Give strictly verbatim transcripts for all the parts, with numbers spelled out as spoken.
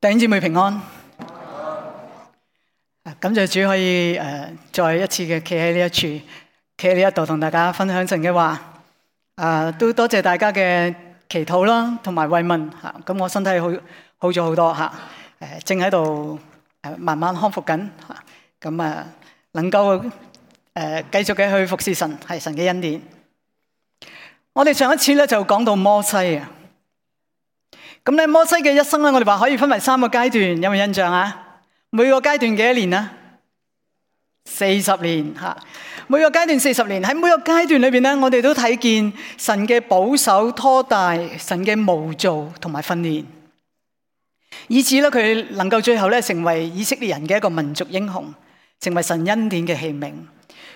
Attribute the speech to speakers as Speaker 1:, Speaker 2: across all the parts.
Speaker 1: 弟兄姊妹平安，感謝主可以誒、呃、再一次嘅企喺呢一處，企喺呢一度同大家分享神嘅話。啊、呃，都多謝大家嘅祈禱啦，同埋慰問嚇。咁、啊、我身體好好咗好多嚇，誒、啊、正喺度誒慢慢康復緊嚇。咁啊，能夠誒、呃、繼續嘅去服侍神，係神嘅恩典。我哋上一次咧就講到摩西啊。咁咧摩西嘅一生咧，我哋話可以分為三個階段，有冇印象啊？每個階段幾多年啊？四十年吓，每個階段四十年。喺每個階段裏邊咧，我哋都睇見神嘅保守拖帶，神嘅模造同埋訓練，以至咧佢能夠最後咧成為以色列人嘅一個民族英雄，成為神恩典嘅器皿。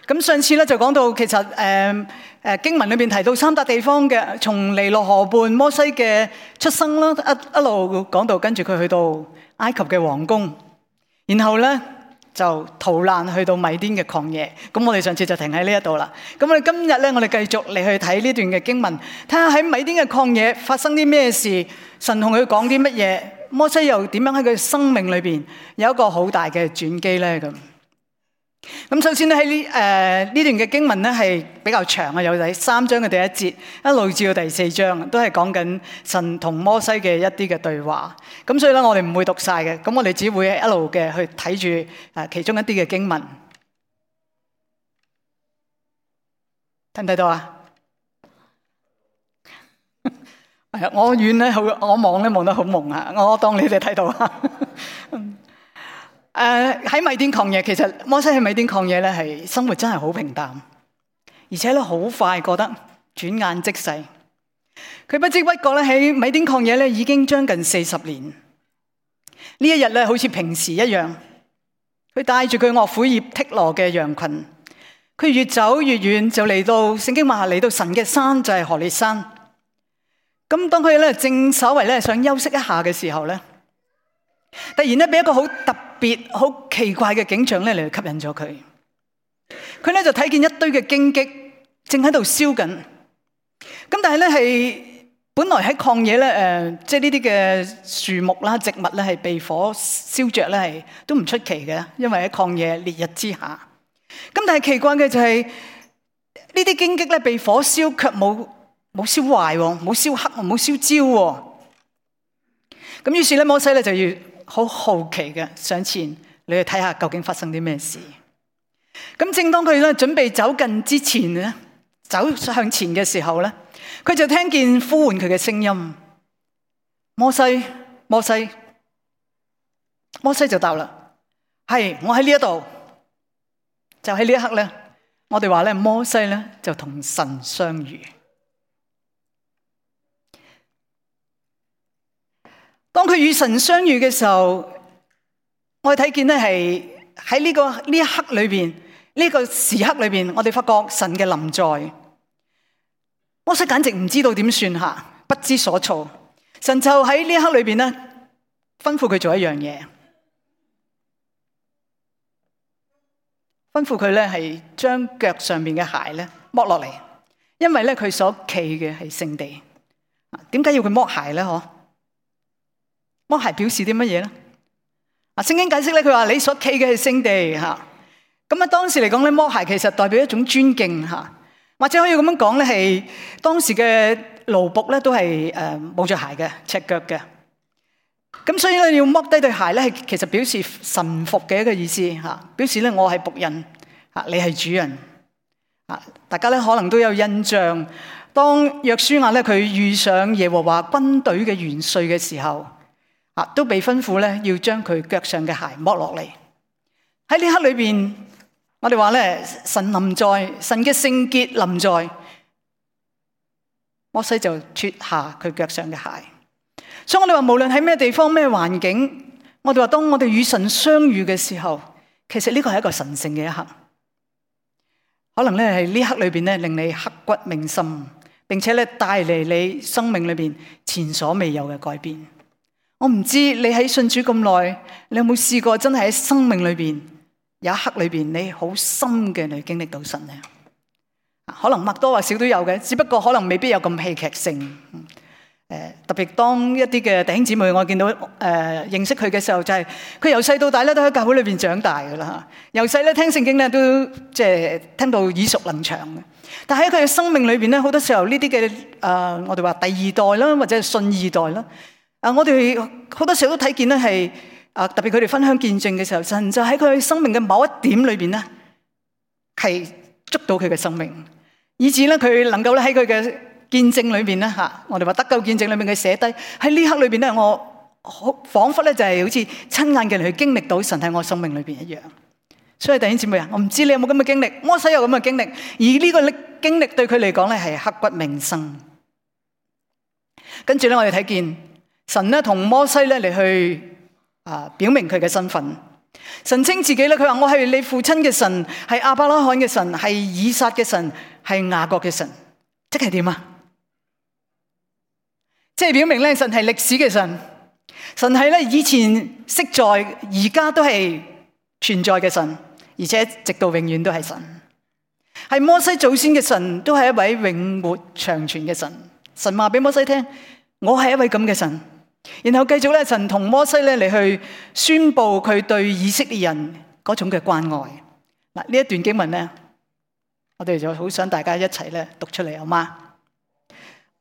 Speaker 1: 咁上次咧就講到，其實誒誒、呃呃、經文裏邊提到三笪地方嘅，從尼羅河畔摩西嘅出生啦，一一路講到跟住佢去到埃及嘅皇宮，然後咧就逃難去到米甸嘅曠野。咁我哋上次就停喺呢一度啦。咁我哋今日咧，我哋繼續嚟去睇呢段嘅經文，睇下喺米甸嘅曠野發生啲咩事，神同佢講啲乜嘢，摩西又點樣喺佢生命裏邊有一個好大嘅轉機咧咁。咁首先咧喺呢誒呢段嘅經文咧係比較長啊，有第三章嘅第一節一路至到第四章，都係講緊神同摩西嘅一啲嘅對話。咁所以咧我哋唔會讀晒嘅，咁我哋只會一路嘅去睇住誒其中一啲嘅經文。睇唔睇到啊？係啊，我遠咧好，我望咧望得好朦啊，我當你哋睇到啊。誒喺、uh, 米甸曠野，其實摩西喺米甸曠野咧，係生活真係好平淡，而且咧好快過得轉眼即逝。佢不知不覺咧喺米甸曠野咧已經將近四十年。呢一日咧好似平時一樣，佢帶住佢岳父葉忒羅嘅羊群，佢越走越遠，就嚟到聖經話嚟到神嘅山，就係何烈山。咁當佢咧正稍為咧想休息一下嘅時候咧，突然咧俾一個好特別、好奇怪嘅景象咧嚟吸引咗佢。佢咧就睇見一堆嘅荊棘正喺度燒緊。咁但係咧係本來喺曠野咧誒，即係呢啲嘅樹木啦、植物咧係被火燒着咧係都唔出奇嘅，因為喺曠野烈日之下。咁但係奇怪嘅就係呢啲荊棘咧被火燒，卻冇冇燒壞，冇燒黑，冇燒焦。咁於是咧摩西咧就要好好奇嘅上前你去睇下究竟發生啲咩事。咁正當佢咧準備走近之前咧，走向前嘅時候咧，佢就聽見呼喚佢嘅聲音：摩西，摩西。摩西就答啦：係，我喺呢一度。就喺呢一刻咧，我哋話咧摩西咧就同神相遇。當佢與神相遇嘅時候，我哋睇見咧係喺呢個呢一刻裏邊，呢個時刻裏邊，我哋發覺神嘅臨在。摩西簡直唔知道點算下，不知所措。神就喺呢一刻裏邊咧，吩咐佢做一樣嘢，吩咐佢咧係將腳上面嘅鞋咧剝落嚟，因為咧佢所企嘅係聖地。點解要佢剝鞋咧？嗬？剝鞋表示啲乜嘢咧？啊，聖經解釋咧，佢話你所企嘅係聖地吓。咁啊，當時嚟講咧，剝鞋其實代表一種尊敬吓，或者可以咁樣講咧，係當時嘅奴僕咧都係誒冇着鞋嘅，赤腳嘅。咁所以咧要剝低對鞋咧，係其實表示臣服嘅一個意思吓，表示咧我係僕人吓，你係主人啊。大家咧可能都有印象，當約書亞咧佢遇上耶和華軍隊嘅元帥嘅時候。啊，都被吩咐咧，要將佢腳上嘅鞋剝落嚟。喺呢刻裏邊，我哋話咧，神臨在，神嘅聖潔臨在，摩西就脫下佢腳上嘅鞋。所以我哋話，無論喺咩地方、咩環境，我哋話當我哋與神相遇嘅時候，其實呢個係一個神聖嘅一刻。可能咧係呢刻裏邊咧，令你刻骨銘心，並且咧帶嚟你生命裏邊前所未有嘅改變。我唔知你喺信主咁耐，你有冇試過真係喺生命裏邊有一刻裏邊你好深嘅你經歷到神咧？可能或多或少都有嘅，只不過可能未必有咁戲劇性。誒特別當一啲嘅弟兄姊妹，我見到誒、呃、認識佢嘅時候，就係佢由細到大咧都喺教會裏邊長大噶啦嚇。由細咧聽聖經咧都即係聽到耳熟能詳嘅。但喺佢嘅生命裏邊咧，好多時候呢啲嘅誒我哋話第二代啦，或者係信二代啦。啊，我哋好多時候都睇見咧係啊，特別佢哋分享見證嘅時候，神就喺佢生命嘅某一點裏邊咧係捉到佢嘅生命，以至咧佢能夠咧喺佢嘅見證裏邊咧嚇，我哋話得救見證裏面佢寫低喺呢刻裏邊咧，我好彷彿咧就係好似親眼嘅嚟去經歷到神喺我生命裏邊一樣。所以弟兄姊妹啊，我唔知你有冇咁嘅經歷，摩西有咁嘅經歷，而呢個經歷對佢嚟講咧係刻骨銘心。跟住咧，我哋睇見神咧同摩西咧嚟去啊表明佢嘅身份。神稱自己咧，佢話我係你父親嘅神，係亞伯拉罕嘅神，係以撒嘅神，係雅各嘅神，即係點啊？即係表明咧，神係歷史嘅神，神係咧以前昔在，而家都係存在嘅神，而且直到永遠都係神。係摩西祖先嘅神，都係一位永活長存嘅神。神話俾摩西聽，我係一位咁嘅神。然後繼續咧，神同摩西咧嚟去宣布佢對以色列人嗰種嘅關愛。嗱，呢一段經文咧，我哋就好想大家一齊咧讀出嚟，好嗎？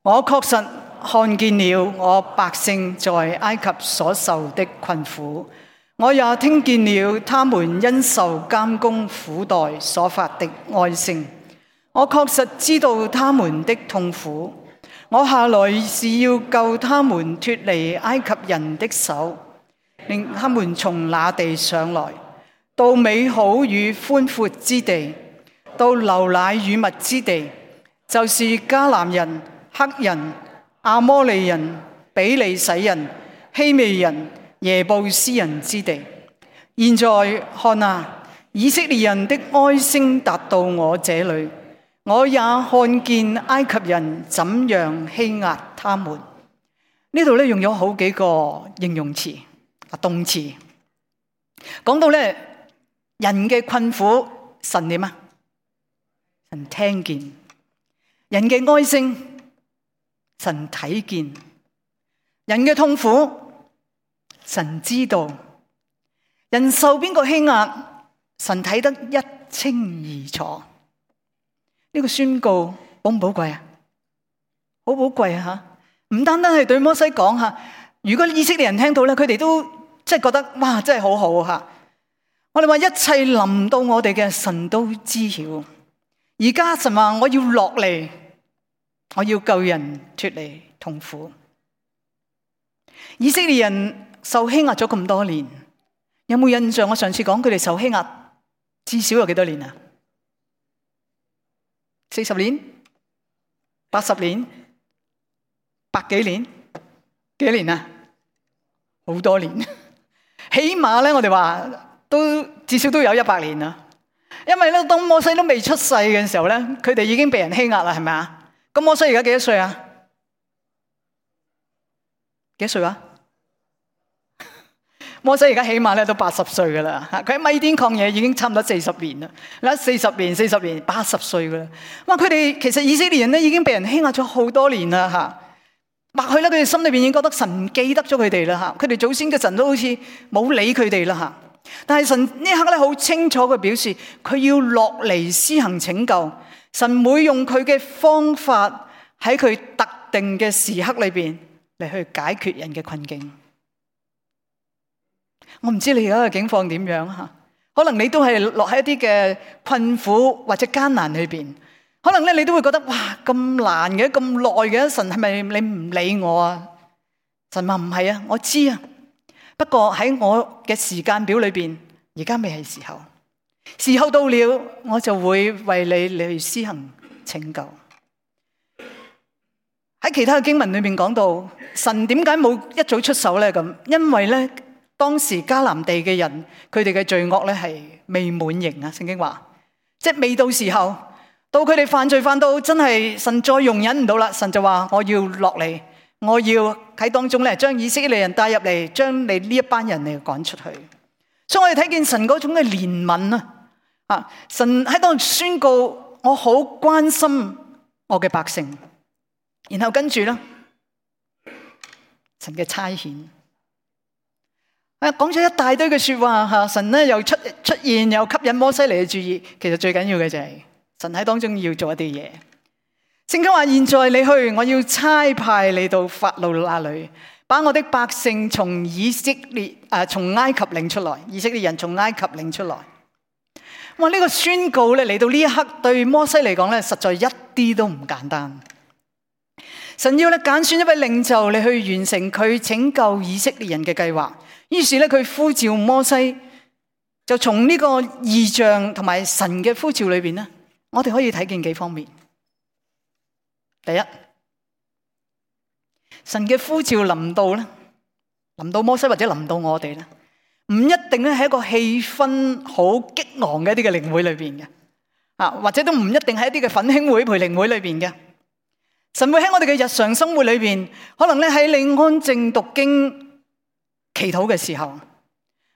Speaker 1: 我確實看見了我百姓在埃及所受的困苦，我也聽見了他們因受監工苦待所發的哀聲。我確實知道他們的痛苦，我下來是要救他們脫離埃及人的手，令他們從那地上來，到美好與寬闊之地，到流奶與蜜之地，就是迦南人、黑人、亞摩利人、比利洗人、希未人、耶布斯人之地。現在看啊，以色列人的哀聲達到我這裏，我也看見埃及人怎樣欺壓他們。呢度咧用咗好幾個形容詞啊，動詞，講到咧人嘅困苦，神點啊？神聽見人嘅哀聲。神睇見人嘅痛苦，神知道人受邊個欺壓，神睇得一清二楚。呢個宣告寶唔寶貴啊？好寶貴啊！吓，唔單單係對摩西講吓，如果以色列人聽到咧，佢哋都即係覺得哇，真係好好吓。我哋話一切臨到我哋嘅，神都知曉。而家神話我要落嚟。我要救人脫離痛苦。以色列人受欺壓咗咁多年，有冇印象？我上次講佢哋受欺壓至少有幾多年啊？四十年、八十年、百幾年、幾多年啊？好多年，起碼咧，我哋話都至少都有一百年啦。因為咧，當摩西都未出世嘅時候咧，佢哋已經被人欺壓啦，係咪啊？咁摩西而家幾多歲啊？幾多歲啊？摩西而家起碼咧都八十歲噶啦，佢喺米甸曠野已經差唔多四十年啦。嗱，四十年、四十年、八十歲噶啦。哇！佢哋其實以色列人咧已經被人欺壓咗好多年啦，吓。或許咧，佢哋心裏邊已經覺得神唔記得咗佢哋啦，吓。佢哋祖先嘅神都好似冇理佢哋啦，吓。但係神呢一刻咧好清楚嘅表示，佢要落嚟施行拯救。神會用佢嘅方法喺佢特定嘅時刻裏邊嚟去解決人嘅困境。我唔知你而家嘅境況點樣吓，可能你都係落喺一啲嘅困苦或者艱難裏邊，可能咧你都會覺得哇，咁難嘅，咁耐嘅，神係咪你唔理我啊？神話唔係啊，我知啊，不過喺我嘅時間表裏邊，而家未係時候。時候到了，我就會為你嚟去施行拯救。喺其他嘅經文裏面講到，神點解冇一早出手咧？咁因為咧，當時迦南地嘅人，佢哋嘅罪惡咧係未滿盈啊。聖經話，即係未到時候，到佢哋犯罪犯到真係神再容忍唔到啦，神就話我要落嚟，我要喺當中咧將以色列人帶入嚟，將你呢一班人嚟趕出去。所以我哋睇見神嗰種嘅憐憫啊！啊！神喺度宣告，我好關心我嘅百姓。然後跟住咧，神嘅差遣。啊，講咗一大堆嘅說話吓，神咧又出出現，又吸引摩西嚟嘅注意。其實最緊要嘅就係神喺當中要做一啲嘢。聖經話：現在你去，我要差派你到法老那裏，把我的百姓從以色列啊，從埃及領出來。以色列人從埃及領出來。哇！呢個宣告咧嚟到呢一刻，對摩西嚟講咧，實在一啲都唔簡單。神要咧揀選一位領袖嚟去完成佢拯救以色列人嘅計劃。於是咧，佢呼召摩西，就從呢個異象同埋神嘅呼召裏邊咧，我哋可以睇見幾方面。第一，神嘅呼召臨到咧，臨到摩西或者臨到我哋咧，唔一定咧係一個氣氛好激昂嘅一啲嘅靈會裏邊嘅，啊，或者都唔一定係一啲嘅奮興會、培靈會裏邊嘅。神會喺我哋嘅日常生活裏邊，可能咧喺你安靜讀經、祈禱嘅時候，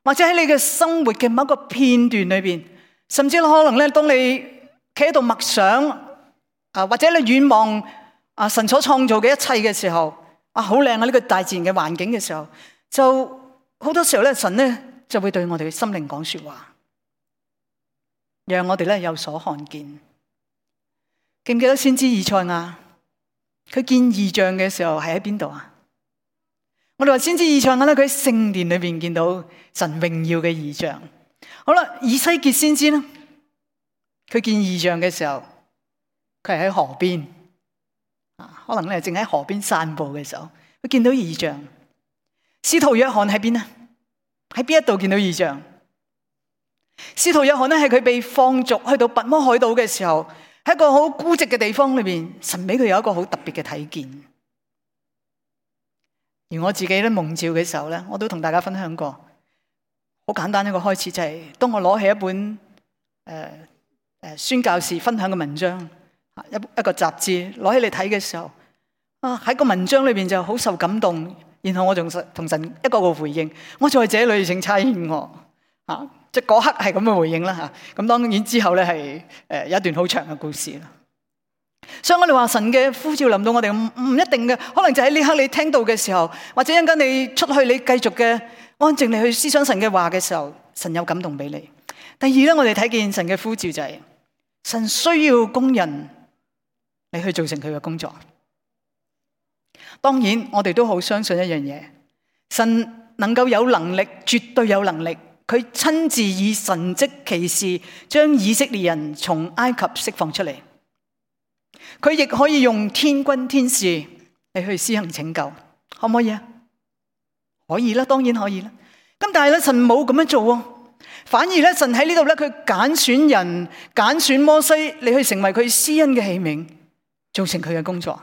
Speaker 1: 或者喺你嘅生活嘅某一個片段裏邊，甚至可能咧當你企喺度默想，啊，或者你遠望啊神所創造嘅一切嘅時候，啊，好靚啊呢個大自然嘅環境嘅時候，就好多時候咧，神咧就會對我哋嘅心靈講說話，讓我哋咧有所看見。記唔記得先知以賽亞？佢見異象嘅時候係喺邊度啊？我哋話先知以賽亞咧，佢喺聖殿裏邊見到神榮耀嘅異象。好啦，以西結先知咧，佢見異象嘅時候，佢係喺河邊，啊，可能咧正喺河邊散步嘅時候，佢見到異象。使徒約翰喺邊啊？喺邊一度見到異象？使徒約翰咧係佢被放逐去到拔摩海島嘅時候，喺一個好孤寂嘅地方裏邊，神俾佢有一個好特別嘅體驗。而我自己咧蒙召嘅時候咧，我都同大家分享過，好簡單一個開始就係、是，當我攞起一本誒誒、呃呃、宣教士分享嘅文章，一一個雜誌攞起嚟睇嘅時候，啊喺個文章裏邊就好受感動。然後我仲同神一個個回應，我在這裏請差遣我，啊，即係嗰刻係咁嘅回應啦吓。咁當然之後咧係誒有一段好長嘅故事啦。所以我哋話神嘅呼召臨到我哋唔唔一定嘅，可能就喺呢刻你聽到嘅時候，或者一陣間你出去你繼續嘅安靜你去思想神嘅話嘅時候，神有感動俾你。第二咧，我哋睇見神嘅呼召就係、是、神需要工人嚟去做成佢嘅工作。當然，我哋都好相信一樣嘢，神能夠有能力，絕對有能力，佢親自以神蹟奇事將以色列人從埃及釋放出嚟。佢亦可以用天軍天使嚟去施行拯救，可唔可以啊？可以啦，當然可以啦。咁但係咧，神冇咁樣做，反而咧，神喺呢度咧，佢揀選人，揀選摩西嚟去成為佢施恩嘅器皿，做成佢嘅工作。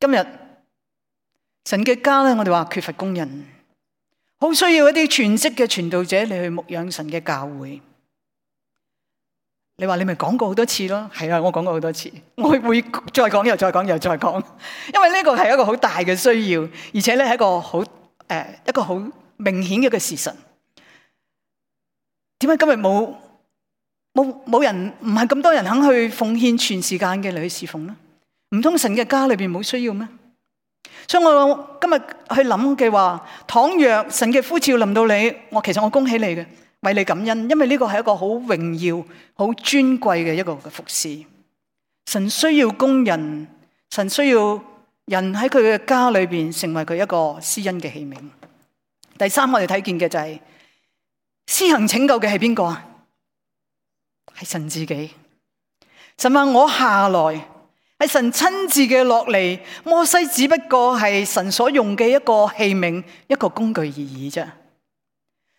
Speaker 1: 今日神嘅家咧，我哋話缺乏工人，好需要一啲全職嘅傳道者嚟去牧養神嘅教會。你話你咪講過好多次咯？係啊，我講過好多次，我會再講又再講又再講，因為呢個係一個好大嘅需要，而且咧係一個好誒、呃、一個好明顯嘅一個事實。點解今日冇冇冇人唔係咁多人肯去奉獻全時間嘅嚟去侍奉呢？唔通神嘅家裏邊冇需要咩？所以我今日去諗嘅話，倘若神嘅呼召臨到你，我其實我恭喜你嘅，為你感恩，因為呢個係一個好榮耀、好尊貴嘅一個嘅服侍。神需要工人，神需要人喺佢嘅家裏邊成為佢一個施恩嘅器皿。第三，我哋睇見嘅就係、是、施行拯救嘅係邊個啊？係神自己。神話我下來。係神親自嘅落嚟，摩西只不過係神所用嘅一個器皿，一個工具而已啫。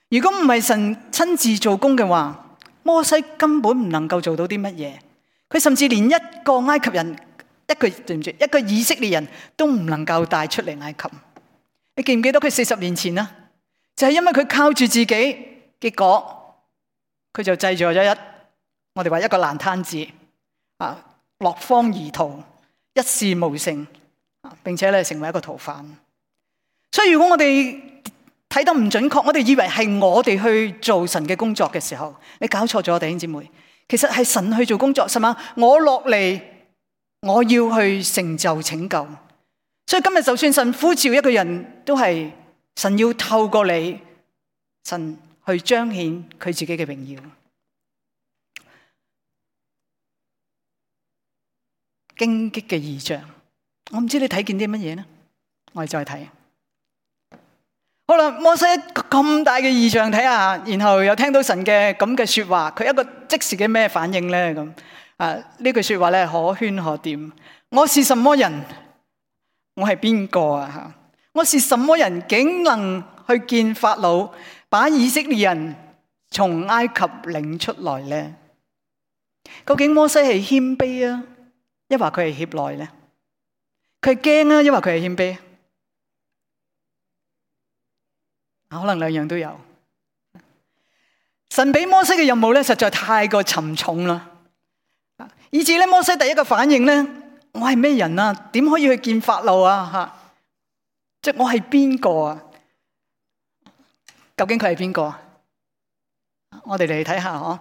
Speaker 1: 如果唔係神親自做工嘅話，摩西根本唔能夠做到啲乜嘢。佢甚至連一個埃及人，一個對唔住，一個以色列人都唔能夠帶出嚟埃及。你記唔記得佢四十年前啊？就係因為佢靠住自己，結果佢就製造咗一，我哋話一個爛攤子啊。落荒而逃，一事無成，並且咧成為一個逃犯。所以如果我哋睇得唔準確，我哋以為係我哋去做神嘅工作嘅時候，你搞錯咗，弟兄姊妹。其實係神去做工作，係嘛？我落嚟，我要去成就拯救。所以今日就算神呼召一個人，都係神要透過你，神去彰顯佢自己嘅榮耀。荊棘嘅異象，我唔知你睇見啲乜嘢呢？我哋再睇。好啦，摩西咁大嘅異象睇下，然後又聽到神嘅咁嘅說話，佢一個即時嘅咩反應咧？咁啊呢句說話咧，可圈可點。我是什麼人？我係邊個啊？吓，我是什麼人，竟能去見法老，把以色列人從埃及領出來咧？究竟摩西係謙卑啊，抑或佢係怯懦咧？佢係驚啊，抑或佢係謙卑？可能兩樣都有。神俾摩西嘅任務咧，實在太過沉重啦，以至咧摩西第一個反應咧，我係咩人啊？點可以去見法老啊？吓，即係我係邊個啊？究竟佢係邊個？我哋嚟睇下嗬。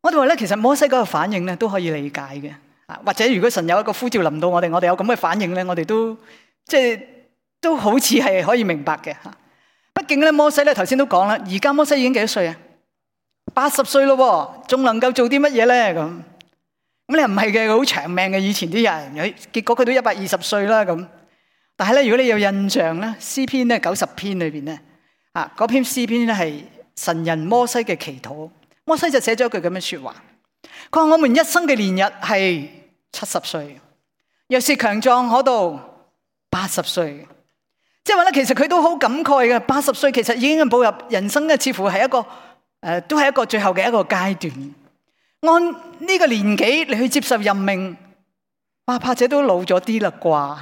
Speaker 1: 我哋話咧，其實摩西嗰個反應咧都可以理解嘅。啊，或者如果神有一個呼召臨到我哋，我哋有咁嘅反應咧，我哋都即係都好似係可以明白嘅吓。畢竟咧，摩西咧頭先都講啦，而家摩西已經幾多歲啊？八十歲咯，仲能夠做啲乜嘢咧？咁咁你唔係嘅，好長命嘅以前啲人，結果佢都一百二十歲啦咁。但係咧，如果你有印象咧，詩篇咧九十篇裏邊咧，啊嗰篇詩篇咧係神人摩西嘅祈禱，摩西就寫咗一句咁嘅說話，佢話我們一生嘅年日係七十歲，若是強壯可到八十歲。即係話咧，其實佢都好感慨嘅。八十歲其實已經步入人生嘅，似乎係一個誒、呃，都係一個最後嘅一個階段。按呢個年紀你去接受任命，哇，怕者都老咗啲啦啩，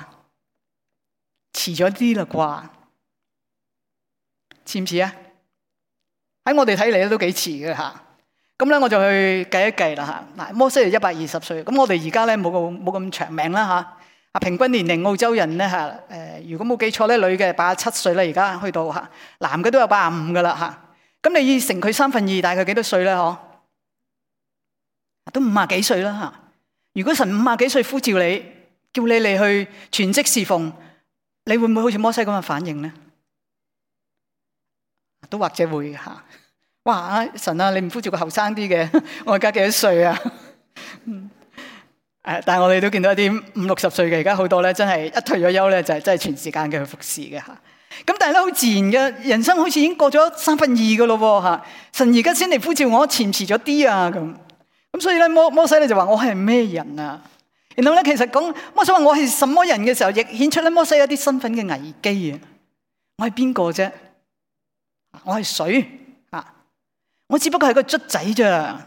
Speaker 1: 遲咗啲啦啩，似唔似啊？喺我哋睇嚟咧都幾遲嘅吓。咁咧我就去計一計啦吓。嗱，摩西係一百二十歲，咁我哋而家咧冇咁冇咁長命啦吓。啊，平均年齡澳洲人咧嚇，誒，如果冇記錯咧，女嘅八十七歲啦，而家去到嚇，男嘅都有八十五噶啦嚇。咁你乘佢三分二，大概幾多歲咧？嗬，都五十幾歲啦嚇。如果神五十幾歲呼召你，叫你嚟去全職侍奉，你會唔會好似摩西咁嘅反應咧？都或者會嚇。哇！神啊，你唔呼召個後生啲嘅，我而家幾多歲啊？誒，但係我哋都見到一啲五六十歲嘅，而家好多咧，真係一退咗休咧，就係真係全時間嘅去服侍嘅吓。咁但係咧，好自然嘅人生，好似已經過咗三分二嘅咯吓。神而家先嚟呼召我，遲唔遲咗啲啊咁。咁所以咧，摩摩西咧就話我係咩人啊？然後咧，其實講摩西話我係什麼人嘅時候，亦顯出咧摩西一啲身份嘅危機啊。我係邊個啫？我係水啊！我只不過係個卒仔咋。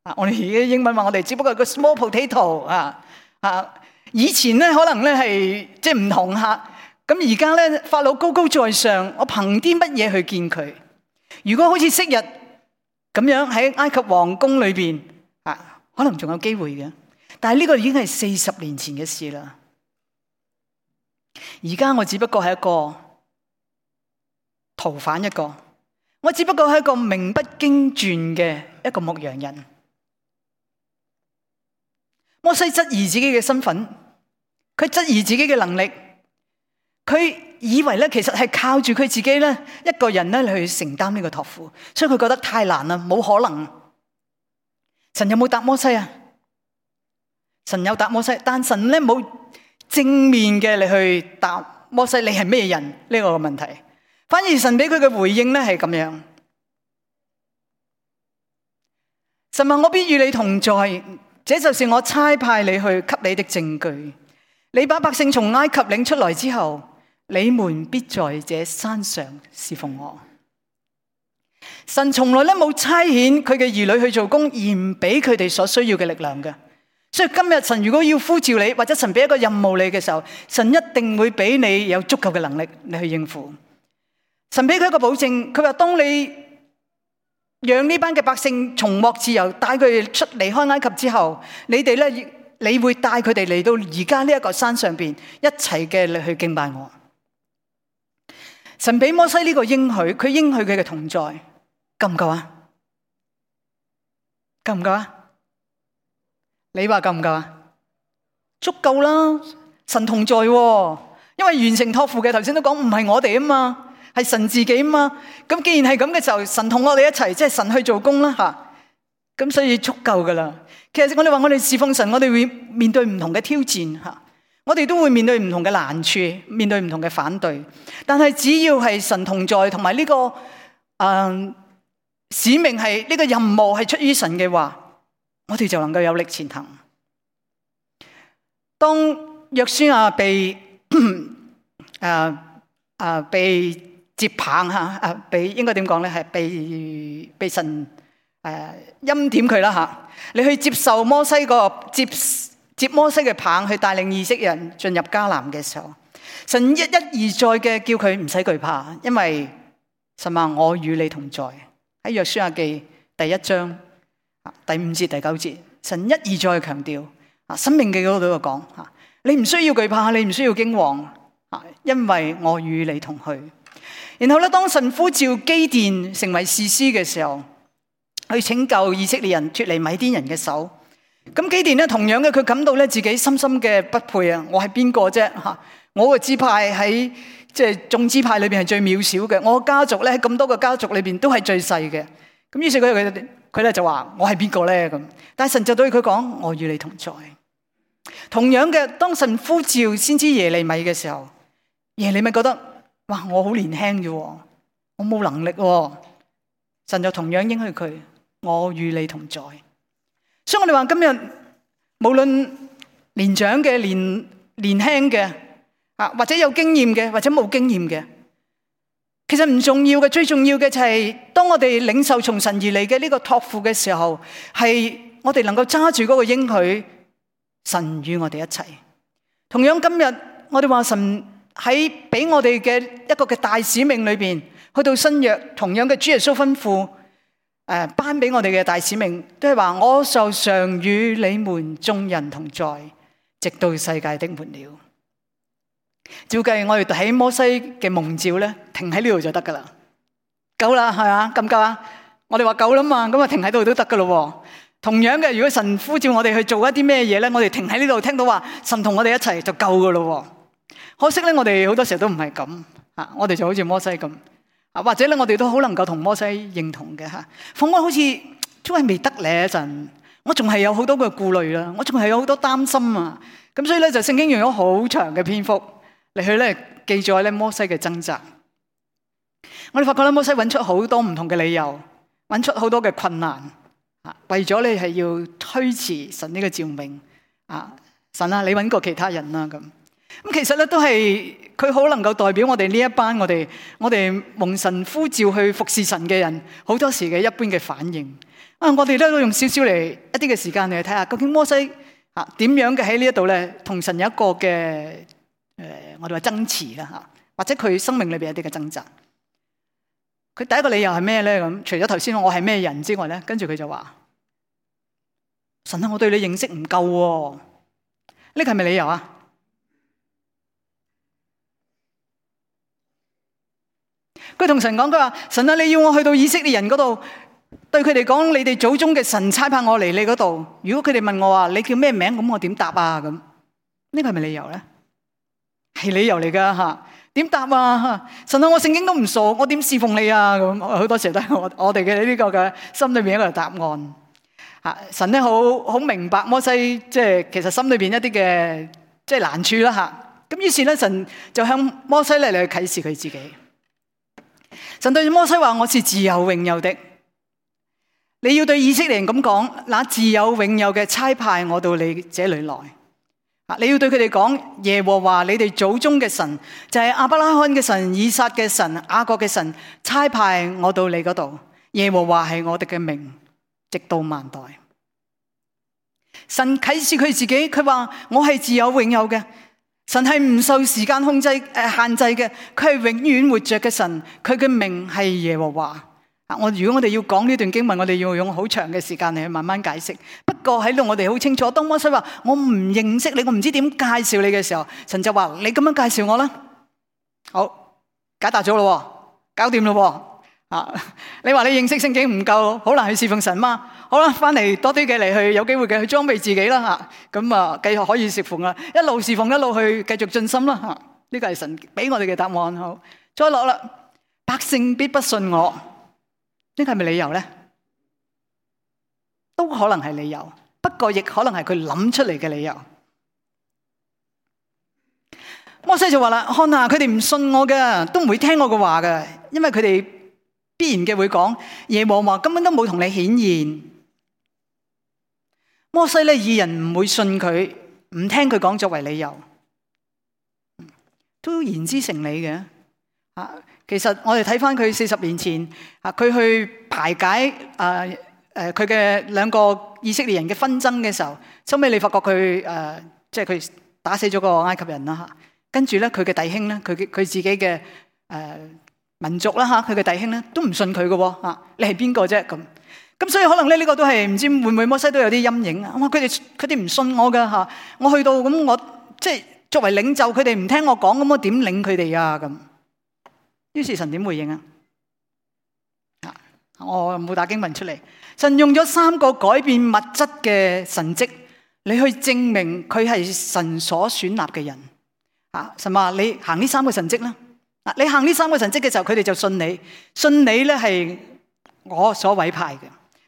Speaker 1: 啊！我哋而家英文話我哋只不過係個 small potato 啊啊！以前咧可能咧係即係唔同吓，咁而家咧法老高高在上，我憑啲乜嘢去見佢？如果好似昔日咁樣喺埃及皇宮裏邊啊，可能仲有機會嘅。但係呢個已經係四十年前嘅事啦。而家我只不過係一個逃犯一個，我只不過係一個名不經傳嘅一個牧羊人。摩西質疑自己嘅身份，佢質疑自己嘅能力，佢以為咧其實係靠住佢自己咧一個人咧去承擔呢個託付，所以佢覺得太難啦，冇可能。神有冇答摩西啊？神有答摩西，但神咧冇正面嘅你去答摩西，你係咩人呢個問題，反而神俾佢嘅回應咧係咁樣。神話我必與你同在。這就是我差派你去給你的證據。你把百姓從埃及領出來之後，你們必在這山上侍奉我。神從來咧冇差遣佢嘅兒女去做工，而唔俾佢哋所需要嘅力量嘅。所以今日神如果要呼召你，或者神俾一個任務你嘅時候，神一定會俾你有足夠嘅能力你去應付。神俾佢一個保證，佢話當你讓呢班嘅百姓重獲自由，帶佢哋出離開埃及之後，你哋咧，你會帶佢哋嚟到而家呢一個山上邊，一齊嘅嚟去敬拜我。神俾摩西呢個應許，佢應許佢嘅同在，夠唔夠啊？夠唔夠啊？你話夠唔夠啊？足夠啦！神同在喎，因為完成託付嘅頭先都講唔係我哋啊嘛，係神自己啊嘛。咁既然係咁嘅時候，神同我哋一齊，即係神去做工啦吓。咁所以足夠噶啦。其實我哋話我哋侍奉神，我哋會面對唔同嘅挑戰吓，我哋都會面對唔同嘅難處，面對唔同嘅反對。但係只要係神同在，同埋呢個誒、呃、使命係呢、這個任務係出於神嘅話，我哋就能夠有力前行。當約書亞被誒誒、呃、被接棒吓，誒被應該點講咧？係被被神誒欽點佢啦吓，你去接受摩西個接接摩西嘅棒，去帶領以色列人進入迦南嘅時候，神一一而再嘅叫佢唔使懼怕，因為神話我與你同在。喺約書亞記第一章第五節第九節，神一而再強調。啊，申命記嗰度講吓，你唔需要懼怕，你唔需要驚惶，因為我與你同去。然後咧，當神呼召基甸成為士師嘅時候，去拯救以色列人脫離米甸人嘅手。咁基甸咧，同樣嘅，佢感到咧自己深深嘅不配啊！我係邊個啫吓？我個支派喺即係眾支派裏邊係最渺小嘅，我家族咧喺咁多個家族裏邊都係最細嘅。咁於是佢佢佢咧就話我係邊個咧咁？但係神就對佢講，我與你同在。同樣嘅，當神呼召先知耶利米嘅時候，耶利米覺得哇，我好年輕啫，我冇能力。神就同樣應許佢，我與你同在。所以我哋話今日無論年長嘅、年年輕嘅啊，或者有經驗嘅，或者冇經驗嘅，其實唔重要嘅，最重要嘅就係當我哋領受從神而嚟嘅呢個託付嘅時候，係我哋能夠揸住嗰個應許，神與我哋一齊。同樣今日我哋話神喺俾我哋嘅一個嘅大使命裏邊，去到新約，同樣嘅主耶穌吩咐誒頒俾我哋嘅大使命，都係話我就常與你們眾人同在，直到世界的末了。照計我哋睇摩西嘅蒙召咧，停喺呢度就得噶啦，夠啦係嘛？咁夠啊？我哋話夠啦嘛，咁啊停喺度都得噶咯。同樣嘅，如果神呼召我哋去做一啲咩嘢咧，我哋停喺呢度聽到話神同我哋一齊就夠噶咯。可惜咧，我哋好多時候都唔係咁啊，我哋就好似摩西咁啊，或者咧我哋都好能夠同摩西認同嘅吓。放我好似都係未得咧一陣，我仲係有好多嘅顧慮啦，我仲係有好多擔心啊。咁所以咧就聖經用咗好長嘅篇幅嚟去咧記載咧摩西嘅掙扎。我哋發覺咧摩西揾出好多唔同嘅理由，揾出好多嘅困難啊，為咗你係要推遲神呢個召命啊，神啊，你揾過其他人啦咁。咁其實咧都係佢好能夠代表我哋呢一班我哋我哋蒙神呼召去服侍神嘅人，好多時嘅一般嘅反應啊。我哋咧都用少少嚟一啲嘅時間嚟睇下，究竟摩西啊點樣嘅喺呢一度咧同神有一個嘅誒、呃，我哋話爭持啦吓，或者佢生命裏邊一啲嘅掙扎。佢第一個理由係咩咧？咁除咗頭先我係咩人之外咧，跟住佢就話：神啊，我對你認識唔夠，呢個係咪理由啊？佢同神講，佢話：神啊，你要我去到以色列人嗰度，對佢哋講，你哋祖宗嘅神差派我嚟你嗰度。如果佢哋問我話你叫咩名，咁我點答啊？咁呢個係咪理由咧？係理由嚟噶吓，點答啊？神啊，我聖經都唔熟，我點侍奉你啊？咁好多時候都係我我哋嘅呢個嘅心裏邊一個答案。吓，神咧好好明白摩西即係其實心裏邊一啲嘅即係難處啦吓。咁於是咧神就向摩西咧嚟去啟示佢自己。神對摩西話：我是自有永有的。你要對以色列人咁講，那自有永有嘅差派我到你這裏來。你要對佢哋講，耶和華你哋祖宗嘅神，就係亞伯拉罕嘅神、以撒嘅神、雅各嘅神，差派我到你嗰度。耶和華係我哋嘅名，直到萬代。神啟示佢自己，佢話我係自有永有嘅。神係唔受時間控制誒限制嘅，佢係永遠活着嘅神，佢嘅名係耶和華。啊，我如果我哋要講呢段經文，我哋要用好長嘅時間嚟去慢慢解釋。不過喺度我哋好清楚，當摩西話我唔認識你，我唔知點介紹你嘅時候，神就話你咁樣介紹我啦。好，解答咗咯，搞掂咯。啊！你話你認識聖經唔夠，好難去侍奉神嘛？好啦，翻嚟多啲嘅嚟去，有機會嘅去裝備自己啦嚇。咁啊，繼續可以侍奉啦，一路侍奉一路去繼續進心啦嚇。呢個係神俾我哋嘅答案。好，再落啦，百姓必不信我，呢個係咪理由咧？都可能係理由，不過亦可能係佢諗出嚟嘅理由。摩西就話啦：看下佢哋唔信我嘅，都唔會聽我嘅話嘅，因為佢哋必然嘅會講耶和華根本都冇同你顯現。摩西咧以人唔會信佢，唔聽佢講作為理由，都言之成理嘅。啊，其實我哋睇翻佢四十年前啊，佢去排解啊誒佢嘅兩個以色列人嘅紛爭嘅時候，收尾你發覺佢誒即係佢打死咗個埃及人啦嚇。跟住咧，佢嘅弟兄咧，佢佢自己嘅誒、呃、民族啦嚇，佢嘅弟兄咧都唔信佢嘅喎嚇，你係邊個啫咁？咁所以可能咧呢個都係唔知會唔會摩西都有啲陰影啊！哇，佢哋佢哋唔信我㗎嚇，我去到咁我即係作為領袖，佢哋唔聽我講，咁我點領佢哋啊咁？於是神點回應啊？啊，我冇打經文出嚟，神用咗三個改變物質嘅神蹟，你去證明佢係神所選立嘅人。啊！神話你行呢三個神蹟啦，啊！你行呢三個神蹟嘅時候，佢哋就信你，信你咧係我所委派嘅。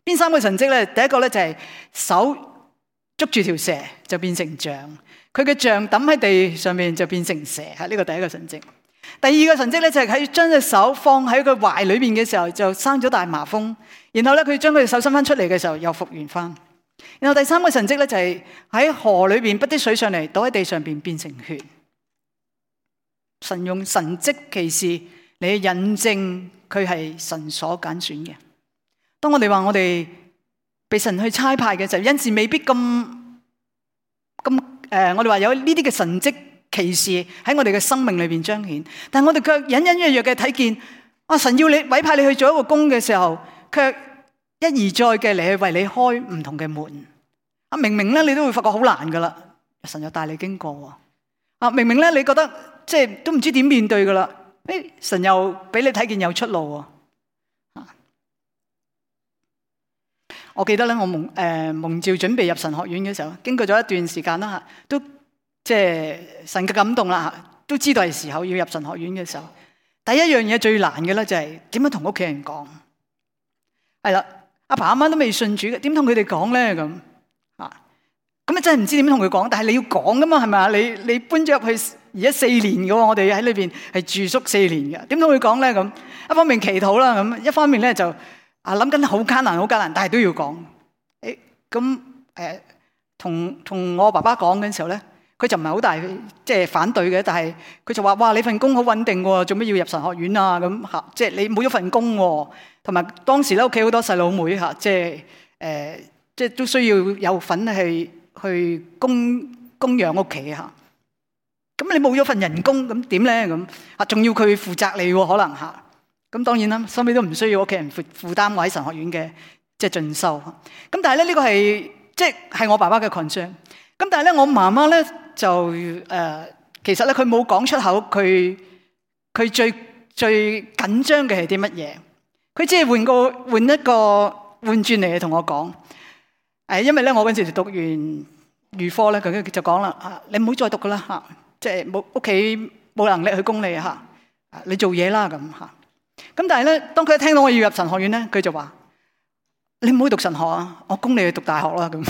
Speaker 1: 邊三個神蹟咧？第一個咧就係手捉住條蛇就變成杖，佢嘅杖抌喺地上面就變成蛇，係呢個第一個神蹟。第二個神蹟咧就係喺將隻手放喺佢懷裏邊嘅時候就生咗大麻風，然後咧佢將佢隻手伸翻出嚟嘅時候又復原翻。然後第三個神蹟咧就係喺河裏邊潑啲水上嚟，倒喺地上邊變成血。神用神蹟奇事嚟印證佢係神所揀選嘅。當我哋話我哋被神去差派嘅時候，有時未必咁咁誒，我哋話有呢啲嘅神蹟奇事喺我哋嘅生命裏邊彰顯，但係我哋卻隱隱約約嘅睇見，啊，神要你委派你去做一個工嘅時候，卻一而再嘅嚟去為你開唔同嘅門。啊，明明咧你都會發覺好難噶啦，神又帶你經過。啊，明明咧你覺得即係都唔知點面對噶啦，誒，神又俾你睇見有出路喎。我記得咧，我蒙誒、呃、蒙召準備入神學院嘅時候，經過咗一段時間啦嚇，都即係神嘅感動啦嚇，都知道係時候要入神學院嘅時候，第一樣嘢最難嘅咧就係點樣同屋企人講。係啦，阿爸阿媽都未信主嘅，點同佢哋講咧咁啊？咁啊真係唔知點同佢講，但係你要講噶嘛，係咪啊？你你搬咗入去而家四年嘅喎，我哋喺裏邊係住宿四年嘅，點同佢講咧咁？一方面祈禱啦，咁一方面咧就啊諗緊好艱難，好艱難，但係都要講。誒咁誒，同同我爸爸講嘅時候咧，佢就唔係好大即係反對嘅，但係佢就話：哇，你份工好穩定喎，做咩要入神學院啊？咁嚇，即係你冇咗份工喎，同埋當時咧屋企好多細佬妹嚇，即係誒，即係都需要有份去去供供養屋企嚇。咁你冇咗份人工，咁點咧？咁啊，仲要佢負責你喎，可能嚇。咁當然啦，收尾都唔需要屋企人負負擔我喺神學院嘅即係進修。咁但係咧呢個係即係係我爸爸嘅 concern。咁但係咧我媽媽咧就誒、呃，其實咧佢冇講出口，佢佢最最緊張嘅係啲乜嘢？佢只係換個換一個換轉嚟同我講。誒，因為咧我嗰陣時讀完預科咧，佢就講啦：啊，你唔好再讀噶啦嚇，即係冇屋企冇能力去供你嚇，你做嘢啦咁嚇。咁但係咧，當佢聽到我要入神學院咧，佢就話：你唔好讀神學啊，我供你去讀大學啦咁。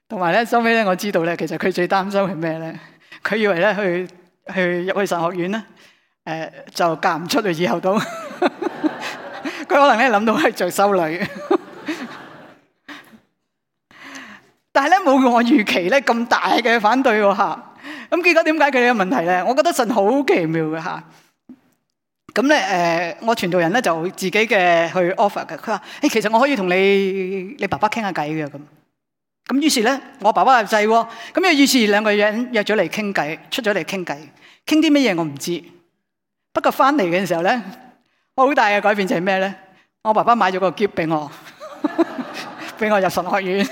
Speaker 1: 同埋咧，收尾咧，我知道咧，其實佢最擔心係咩咧？佢以為咧去去入去神學院咧，誒、呃、就嫁唔出去，以後都佢可能咧諗到係做修女。但係咧冇我預期咧咁大嘅反對喎嚇。咁結果點解佢有問題咧？我覺得神好奇妙嘅嚇。咁咧誒，我傳道人咧就自己嘅去 offer 嘅。佢話：誒，其實我可以同你你爸爸傾下偈嘅咁。咁於是咧，我爸爸又制喎。咁於是兩個人約咗嚟傾偈，出咗嚟傾偈，傾啲乜嘢我唔知。不過翻嚟嘅時候咧，好大嘅改變就係咩咧？我爸爸買咗個喼俾我，俾我入神學院。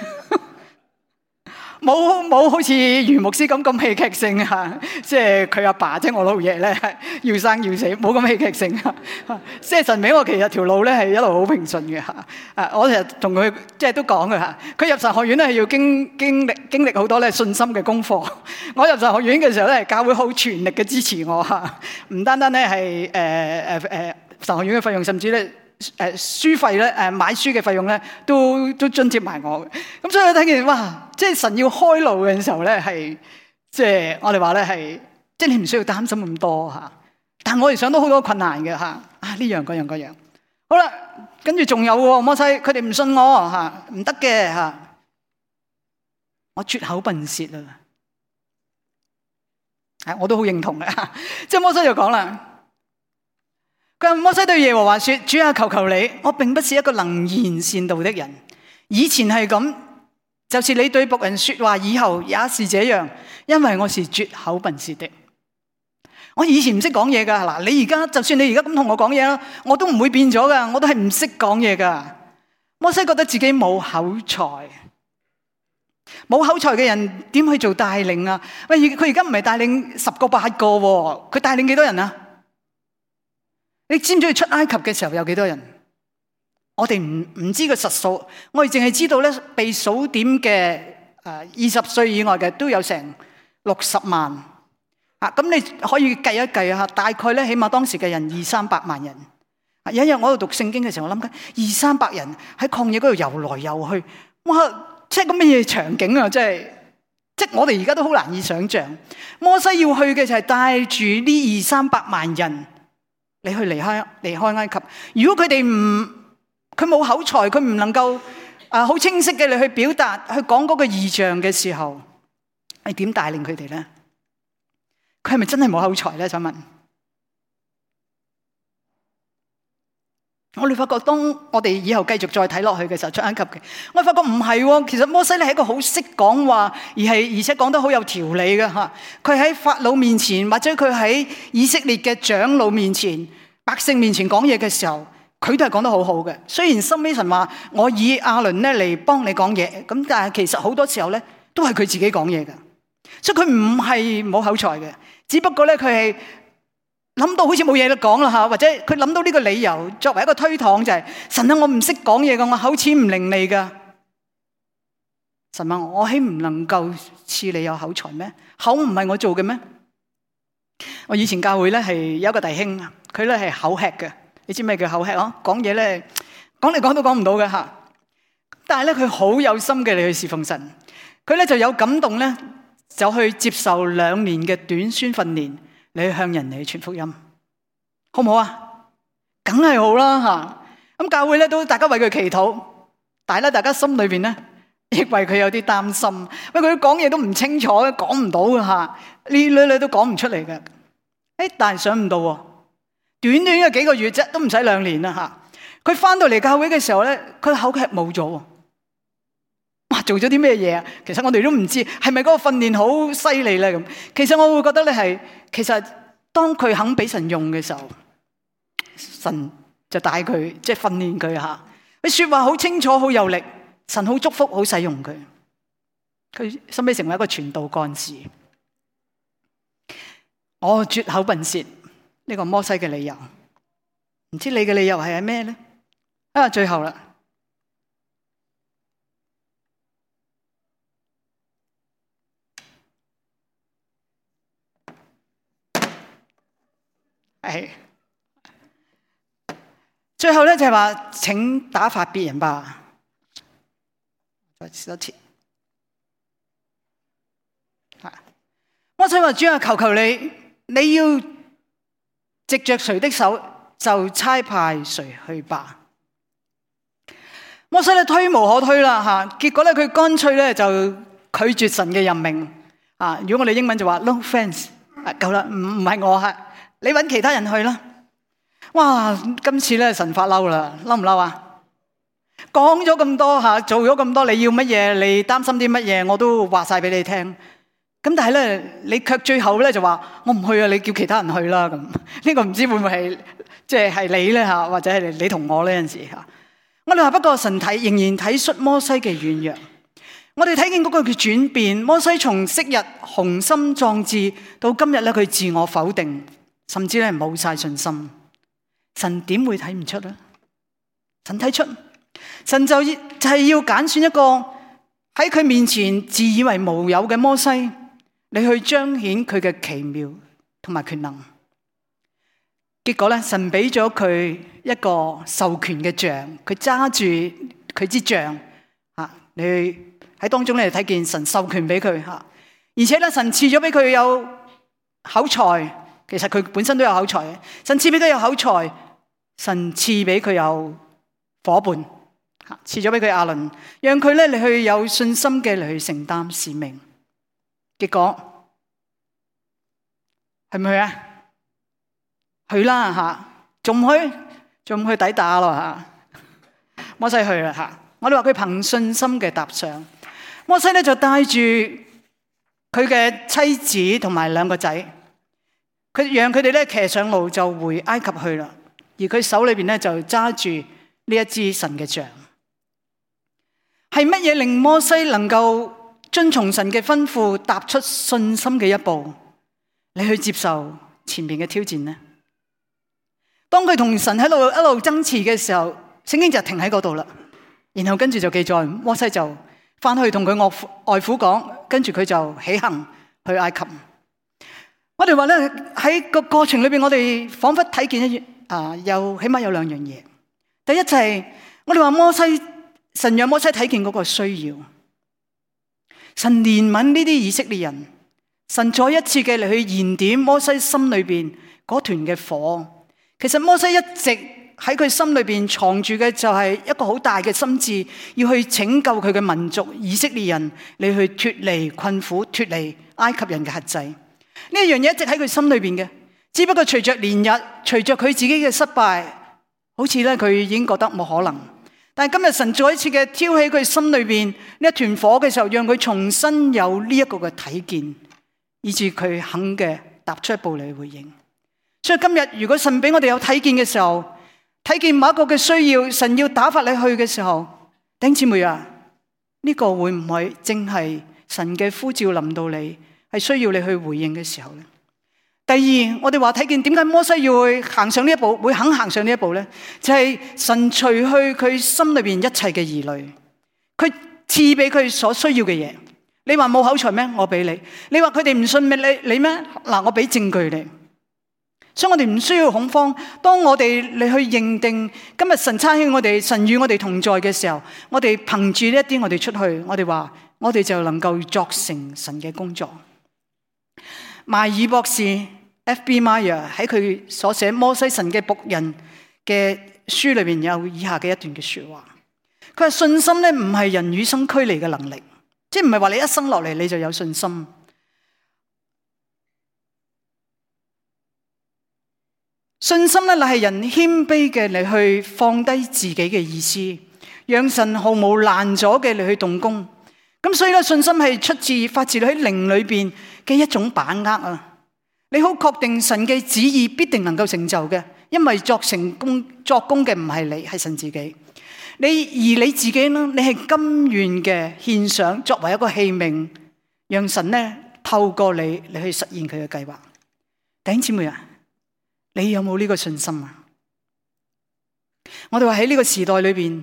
Speaker 1: 冇冇好似余牧師咁咁戲劇性啊！即係佢阿爸即係我老爺咧，要生要死，冇咁戲劇性啊！即係神俾我其實條路咧係一路好平順嘅嚇。啊，我成日同佢即係都講嘅嚇，佢入神學院咧係要經經歷經歷好多咧信心嘅功課。我入神學院嘅時候咧，教會好全力嘅支持我嚇，唔單單咧係誒誒誒神學院嘅費用，甚至咧。誒書費咧，誒買書嘅費用咧，都都津貼埋我嘅。咁所以睇見哇，即係神要開路嘅時候咧，係即係我哋話咧係，即係你唔需要擔心咁多嚇。但係我哋想到好多困難嘅嚇，啊呢樣嗰樣嗰樣。好啦，跟住仲有喎，摩西佢哋唔信我嚇，唔得嘅嚇，我拙口笨舌啊！係我都好認同嘅，即係摩西就講啦。佢摩西對耶和華說：主啊，求求你，我並不是一個能言善道的人。以前係咁，就是你對僕人說話，以後也是這樣，因為我是拙口笨舌的。我以前唔識講嘢噶，嗱，你而家就算你而家咁同我講嘢啦，我都唔會變咗噶，我都係唔識講嘢噶。摩西覺得自己冇口才，冇口才嘅人點去做帶領啊？喂，佢而家唔係帶領十個八個，佢帶領幾多人啊？你知唔知佢出埃及嘅時候有幾多人？我哋唔唔知個實數，我哋淨係知道咧，被數點嘅誒二十歲以外嘅都有成六十萬啊！咁你可以計一計下，大概咧起碼當時嘅人二三百萬人。有一日我喺度讀聖經嘅時候，我諗緊二三百人喺曠野嗰度遊來遊去，哇！即係咁乜嘢場景啊！即係即係我哋而家都好難以想象。摩西要去嘅就係帶住呢二三百萬人。你去離開離開埃及，如果佢哋唔佢冇口才，佢唔能夠啊好清晰嘅你去表達去講嗰個異象嘅時候，你點帶領佢哋咧？佢係咪真係冇口才咧？想問，我哋發覺當我哋以後繼續再睇落去嘅時候，出埃及嘅，我發覺唔係喎。其實摩西咧係一個好識講話，而係而且講得好有條理嘅嚇。佢喺法老面前，或者佢喺以色列嘅長老面前、百姓面前講嘢嘅時候，佢都係講得好好嘅。雖然深尾神話我以亞倫咧嚟幫你講嘢，咁但係其實好多時候咧都係佢自己講嘢嘅，所以佢唔係冇口才嘅，只不過咧佢係。諗到好似冇嘢得講啦吓，或者佢諗到呢個理由作為一個推搪就係、是、神啊，我唔識講嘢噶，我口齒唔伶俐噶。神啊，我豈唔能夠賜你有口才咩？口唔係我做嘅咩？我以前教會咧係有一個弟兄，佢咧係口吃嘅，你知咩叫口吃啊？講嘢咧講嚟講都講唔到嘅吓，但係咧佢好有心嘅嚟去侍奉神，佢咧就有感動咧，就去接受兩年嘅短宣訓練。你去向人哋傳福音，好唔好啊？梗係好啦吓。咁教會咧都大家為佢祈禱，但係咧大家心裏邊咧亦為佢有啲擔心。喂，佢講嘢都唔清楚，講唔到嘅吓，呢女女都講唔出嚟嘅。誒，但係想唔到，短短嘅幾個月啫，都唔使兩年啦吓。佢翻到嚟教會嘅時候咧，佢口吃冇咗。哇！做咗啲咩嘢啊？其實我哋都唔知，係咪嗰個訓練好犀利咧咁？其實我會覺得咧係，其實當佢肯俾神用嘅時候，神就帶佢，即係訓練佢吓。佢說話好清楚，好有力，神好祝福，好使用佢。佢後尾成為一個傳道幹事。我拙口笨舌，呢個摩西嘅理由，唔知你嘅理由係係咩咧？啊，最後啦。係，最後咧就係話，請打發別人吧。再試多次。摩西話：主啊，求求你，你要藉着誰的手，就差派誰去吧。摩西咧推無可推啦吓，結果咧佢乾脆咧就拒絕神嘅任命啊。如果我哋英文就話 no thanks，夠啦，唔唔係我吓。你揾其他人去啦！哇，今次咧神發嬲啦，嬲唔嬲啊？講咗咁多吓，做咗咁多，你要乜嘢？你擔心啲乜嘢？我都話晒俾你聽。咁但係咧，你卻最後咧就話我唔去啊！你叫其他人去啦咁。呢個唔知會唔會係即係係你咧吓，或者係你同我呢陣時吓。我哋話不過神體仍然體恤摩西嘅軟弱，我哋睇見嗰個嘅轉變，摩西從昔日雄心壯志到今日咧，佢自我否定，甚至咧冇晒信心。神點會睇唔出咧？神睇出，神就就係要揀選一個喺佢面前自以為無有嘅摩西，你去彰顯佢嘅奇妙同埋權能。結果咧，神俾咗佢一個授權嘅杖，佢揸住佢支杖啊，你喺當中咧睇見神授權俾佢吓，而且咧神賜咗俾佢有口才，其實佢本身都有口才嘅，神賜俾佢有口才，神賜俾佢有伙伴，賜咗俾佢亞倫，讓佢咧你去有信心嘅嚟去承擔使命。結果係咪去啊？去啦吓，仲唔去？仲唔去抵打咯吓？摩西去啦吓，我哋話佢憑信心嘅踏上。摩西咧就帶住佢嘅妻子同埋兩個仔，佢讓佢哋咧騎上路就回埃及去啦。而佢手裏邊咧就揸住呢一支神嘅杖。係乜嘢令摩西能夠遵從神嘅吩咐，踏出信心嘅一步，你去接受前面嘅挑戰呢？當佢同神喺度一路爭持嘅時候，聖經就停喺嗰度啦。然後跟住就記載，摩西就翻去同佢外父講，跟住佢就起行去埃及。我哋話咧喺個過程裏邊，我哋仿佛睇見一啊，有起碼有兩樣嘢。第一就係我哋話摩西，神讓摩西睇見嗰個需要，神憐憫呢啲以色列人，神再一次嘅嚟去燃點摩西心裏邊嗰團嘅火。其實摩西一直喺佢心裏邊藏住嘅就係一個好大嘅心志，要去拯救佢嘅民族以色列人，你去脫離困苦，脫離埃及人嘅轄制。呢一樣嘢一直喺佢心裏邊嘅，只不過隨着年日，隨着佢自己嘅失敗，好似咧佢已經覺得冇可能。但係今日神再一次嘅挑起佢心裏邊呢一團火嘅時候，讓佢重新有呢一個嘅睇見，以致佢肯嘅踏出一步嚟回應。所以今日如果神俾我哋有睇見嘅時候，睇見某一個嘅需要，神要打發你去嘅時候，弟兄姊妹啊，呢個會唔會正係神嘅呼召臨到你，係需要你去回應嘅時候呢？第二，我哋話睇見點解摩西要去行上呢一步，會肯行上呢一步呢？就係神除去佢心裏邊一切嘅疑慮，佢賜俾佢所需要嘅嘢。你話冇口才咩？我俾你。你話佢哋唔信咩？你你咩？嗱，我俾證據你。所以我哋唔需要恐慌。當我哋你去認定今日神差遣我哋，神與我哋同在嘅時候，我哋憑住呢一啲我哋出去，我哋話我哋就能夠作成神嘅工作。邁爾博士 F B Meyer 喺佢所寫摩西神嘅僕人嘅書裏邊有以下嘅一段嘅說話。佢話信心咧唔係人與生俱嚟嘅能力，即係唔係話你一生落嚟你就有信心。信心咧，乃係人謙卑嘅嚟去放低自己嘅意思，讓神毫無攔阻嘅嚟去動工。咁所以咧，信心係出自發自喺靈裏邊嘅一種把握啊！你好確定神嘅旨意必定能夠成就嘅，因為作成功作工嘅唔係你，係神自己。你而你自己呢，你係甘願嘅獻上，作為一個器皿，讓神呢透過你嚟去實現佢嘅計劃。弟兄姊妹啊！你有冇呢個信心啊？我哋話喺呢個時代裏邊，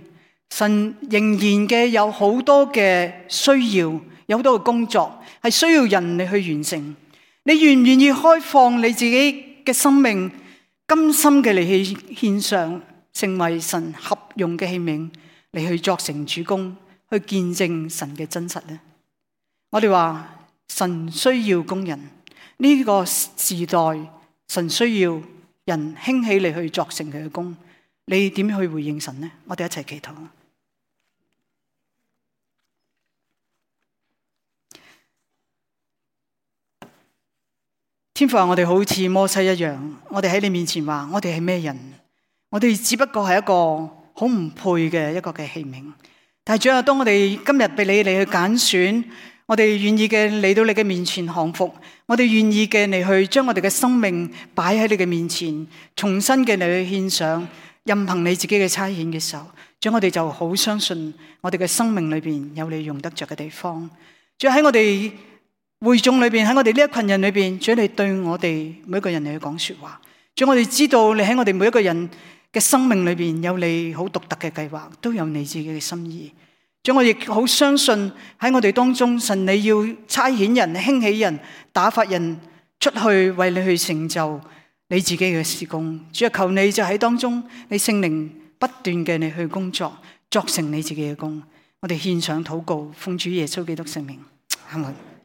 Speaker 1: 神仍然嘅有好多嘅需要，有好多嘅工作係需要人嚟去完成。你願唔願意開放你自己嘅生命，甘心嘅嚟去獻上，成為神合用嘅器皿嚟去作成主工，去見證神嘅真實呢？我哋話神需要工人，呢個時代神需要人興起嚟去作成佢嘅工，你點去回應神呢？我哋一齊祈禱。天父啊，我哋好似摩西一樣，我哋喺你面前話，我哋係咩人？我哋只不過係一個好唔配嘅一個嘅器皿。但係主啊，當我哋今日被你嚟去揀選，我哋願意嘅嚟到你嘅面前降服，我哋願意嘅嚟去將我哋嘅生命擺喺你嘅面前，重新嘅嚟去獻上，任憑你自己嘅差遣嘅時候，主，我哋就好相信我哋嘅生命裏邊有你用得着嘅地方。主，喺我哋會眾裏邊，喺我哋呢一群人裏邊，主，你對我哋每一個人嚟去講說話。主，我哋知道你喺我哋每一個人嘅生命裏邊有你好獨特嘅計劃，都有你自己嘅心意。主，我亦好相信喺我哋當中，神你要差遣人、興起人、打發人出去為你去成就你自己嘅事工。主啊，求你就喺當中，你聖靈不斷嘅你去工作，作成你自己嘅工。我哋獻上禱告，奉主耶穌基督聖名，阿門。